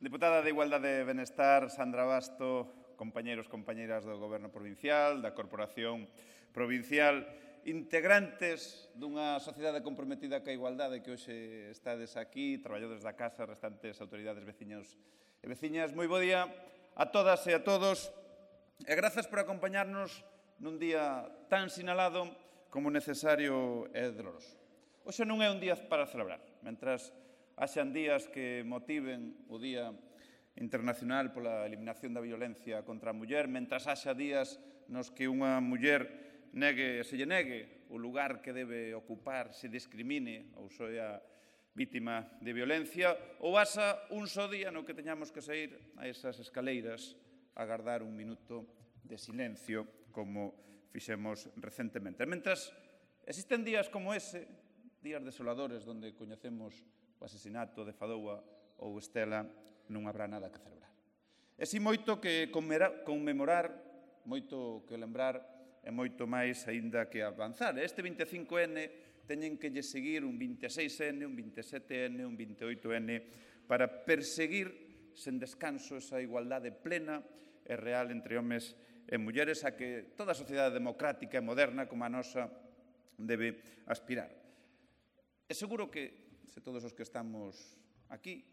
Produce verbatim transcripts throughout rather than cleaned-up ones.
Deputada de Igualdade e Benestar, Sandra Basto, compañeros, compañeiras do Goberno Provincial, da Corporación Provincial, integrantes dunha sociedade comprometida ca igualdade que hoxe estades aquí, traballadores da Casa, restantes autoridades veciños e veciñas. Moi bo día a todas e a todos e grazas por acompañarnos nun día tan sinalado como necesario e doloroso. Hoxe non é un día para celebrar, mentras haxan días que motiven o Día Internacional pola Eliminación da Violencia contra a Muller, mentras haxa días nos que unha muller negue, se lle negue o lugar que debe ocupar, se discrimine ou soa vítima de violencia, ou haxa un só día no que teñamos que sair a esas escaleiras a agardar un minuto de silencio, como fixemos recentemente. Mentras existen días como ese, días desoladores, onde coñecemos o asesinato de Fadoua ou Estela, non habrá nada que celebrar. E si moito que conmemorar, moito que lembrar e moito máis aínda que avanzar. Este vinte e cinco ene teñen que lle seguir un vinte e seis ene, un vinte e sete ene, un vinte e oito ene para perseguir sen descanso esa igualdade plena e real entre homes e mulleres a que toda a sociedade democrática e moderna como a nosa debe aspirar. É seguro que se todos os que estamos aquí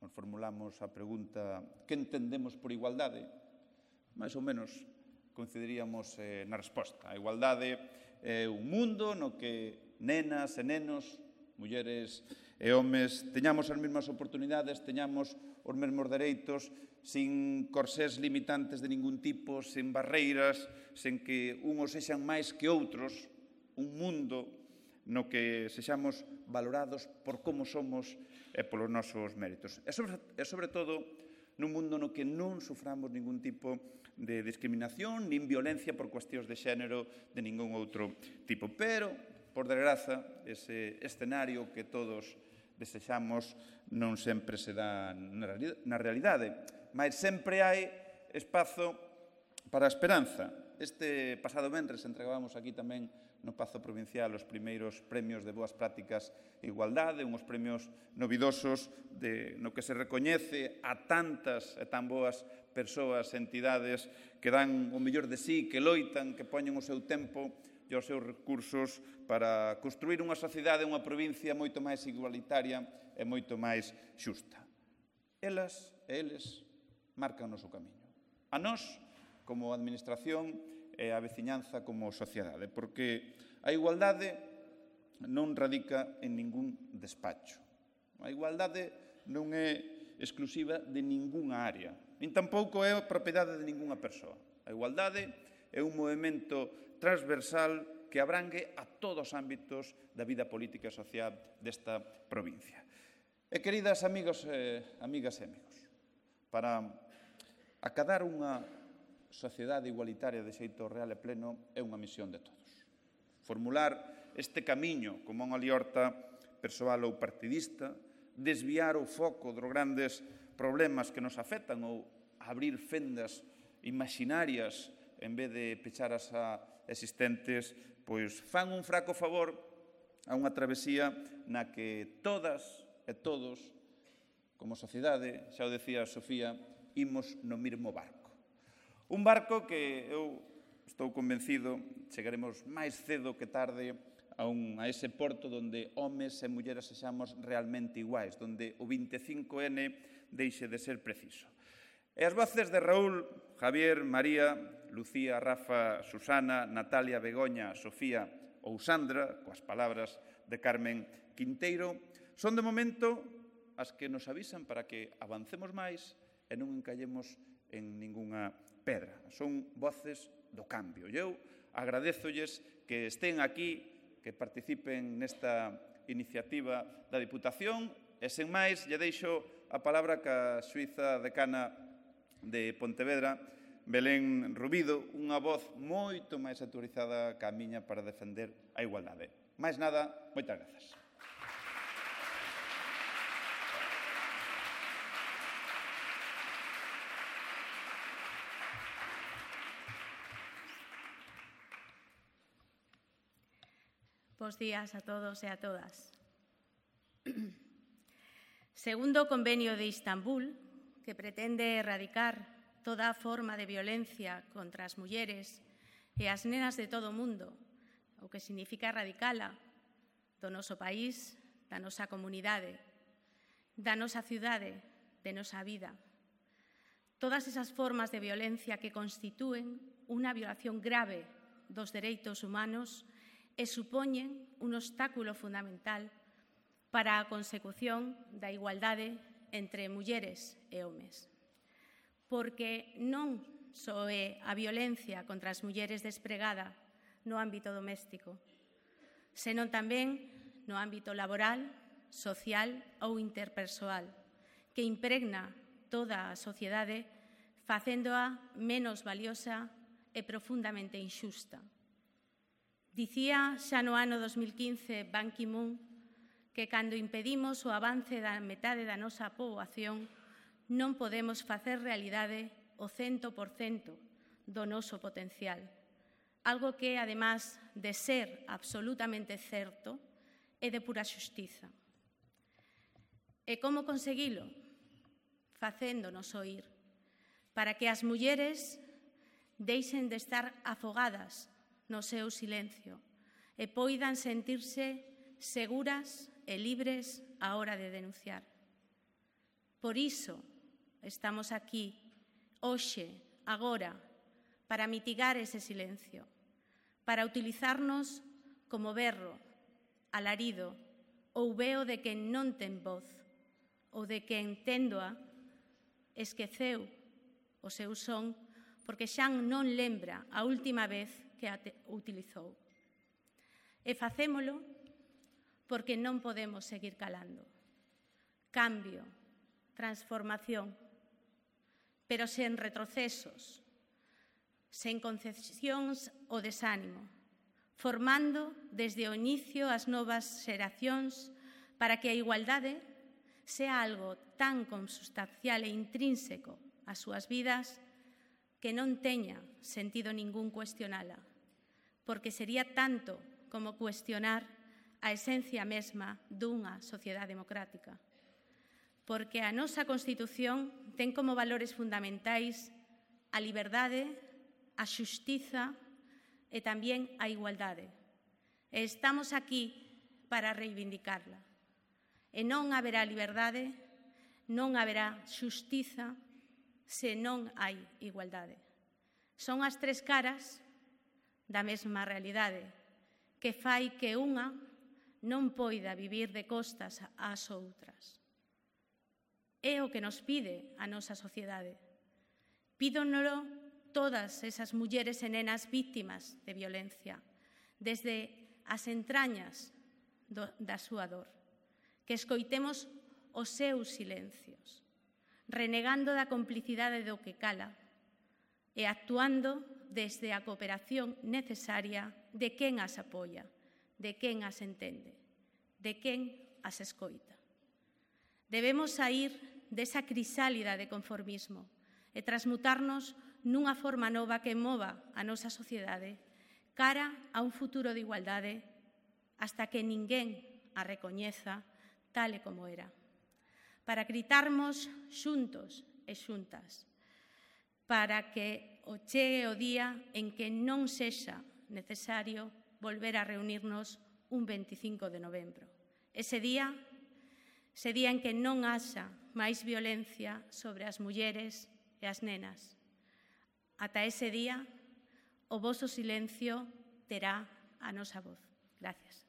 nos formulamos a pregunta que entendemos por igualdade, máis ou menos coincidiríamos eh, na resposta. A igualdade é un mundo no que nenas e nenos, mulleres e homes, teñamos as mesmas oportunidades, teñamos os mesmos dereitos, sin corsés limitantes de ningún tipo, sin barreiras, sen que unhos sexan máis que outros, un mundo no que sexamos valorados por como somos e polos nosos méritos. E sobre, e sobre todo, nun mundo no que non suframos ningún tipo de discriminación nin violencia por cuestións de xénero de ningún outro tipo. Pero, por desgraza, ese escenario que todos desexamos non sempre se dá na realidade, mas sempre hai espazo para a esperanza. Este pasado venres entregábamos aquí tamén no Pazo Provincial os primeiros premios de boas prácticas e igualdade, unhos premios novidosos de, no que se recoñece a tantas e tan boas persoas e entidades que dan o mellor de sí, que loitan, que poñen o seu tempo e os seus recursos para construir unha sociedade, unha provincia moito máis igualitaria e moito máis xusta. Elas e eles marcan o noso camiño. A nós, como administración, e a veciñanza como sociedade, porque a igualdade non radica en ningún despacho. A igualdade non é exclusiva de ningunha área, nin tampouco é propiedade de ningunha persoa. A igualdade é un movimento transversal que abrangue a todos os ámbitos da vida política e social desta provincia. E, queridas amigos, eh, amigas e amigos, para acadar unha sociedade igualitaria de xeito real e pleno é unha misión de todos. Formular este camiño como unha liorta persoal ou partidista, desviar o foco dos grandes problemas que nos afectan ou abrir fendas imaginarias en vez de pechar as existentes, pois fan un fraco favor a unha travesía na que todas e todos, como sociedade, xa o decía Sofía, imos no mesmo barco. Un barco que eu estou convencido chegaremos máis cedo que tarde a, un, a ese porto onde homes e mulleres sexamos realmente iguais, onde o vinte e cinco ene deixe de ser preciso. E as voces de Raúl, Javier, María, Lucía, Rafa, Susana, Natalia, Begoña, Sofía ou Sandra, coas palabras de Carmen Quinteiro, son de momento as que nos avisan para que avancemos máis e non encallemos en ningunha pedra. Son voces do cambio. E eu agradezolles que estén aquí, que participen nesta iniciativa da Diputación e, sen máis, lle deixo a palabra ca xuíza decana de Pontevedra, Belén Rubido, unha voz moito máis autorizada ca miña para defender a igualdade. Máis nada, moitas grazas. Bos días a todos e a todas. Segundo o Convenio de Istambul, que pretende erradicar toda forma de violencia contra as mulleres e as nenas de todo o mundo, o que significa erradicala do noso país, da nosa comunidade, da nosa cidade, de nosa vida. Todas esas formas de violencia que constitúen unha violación grave dos dereitos humanos e supoñen un obstáculo fundamental para a consecución da igualdade entre mulleres e homes. Porque non só é a violencia contra as mulleres despregada no ámbito doméstico, senón tamén no ámbito laboral, social ou interpersoal, que impregna toda a sociedade facéndoa menos valiosa e profundamente inxusta. Dicía xa no ano dos mil quince Ban Ki-moon que cando impedimos o avance da metade da nosa poboación non podemos facer realidade o cento por cento do noso potencial, algo que, además de ser absolutamente certo, é de pura xustiza. E como conseguilo? Facéndonos oír, para que as mulleres deixen de estar afogadas no seu silencio e poidan sentirse seguras e libres á hora de denunciar. Por iso estamos aquí, hoxe, agora, para mitigar ese silencio, para utilizarnos como berro, alarido ou veo de quen non ten voz ou de quen téndoa esqueceu o seu son porque xa non lembra a última vez que a utilizou. E facémolo porque non podemos seguir calando. Cambio, transformación, pero sen retrocesos, sen concesións ou desánimo, formando desde o inicio as novas xeracións para que a igualdade sea algo tan consubstancial e intrínseco ás súas vidas que non teña sentido ningún cuestionala, porque sería tanto como cuestionar a esencia mesma dunha sociedade democrática. Porque a nosa Constitución ten como valores fundamentais a liberdade, a xustiza e tamén a igualdade. E estamos aquí para reivindicarla. E non haberá liberdade, non haberá xustiza se non hai igualdade. Son as tres caras da mesma realidade que fai que unha non poida vivir de costas ás outras. É o que nos pide a nosa sociedade. Pídonolo todas esas mulleres e nenas víctimas de violencia, desde as entrañas do, da súa dor, que escoitemos os seus silencios, renegando da complicidade do que cala e actuando desde a cooperación necesaria de quen as apoia, de quen as entende, de quen as escoita. Debemos saír desa crisálida de conformismo e transmutarnos nunha forma nova que mova a nosa sociedade cara a un futuro de igualdade hasta que ninguén a recoñeza tal e como era. Para gritarmos xuntos e xuntas, para que o chegue o día en que non sexa necesario volver a reunirnos un veinticinco de novembro. Ese día, ese día en que non haxa máis violencia sobre as mulleres e as nenas. Ata ese día, o voso silencio terá a nosa voz. Gracias.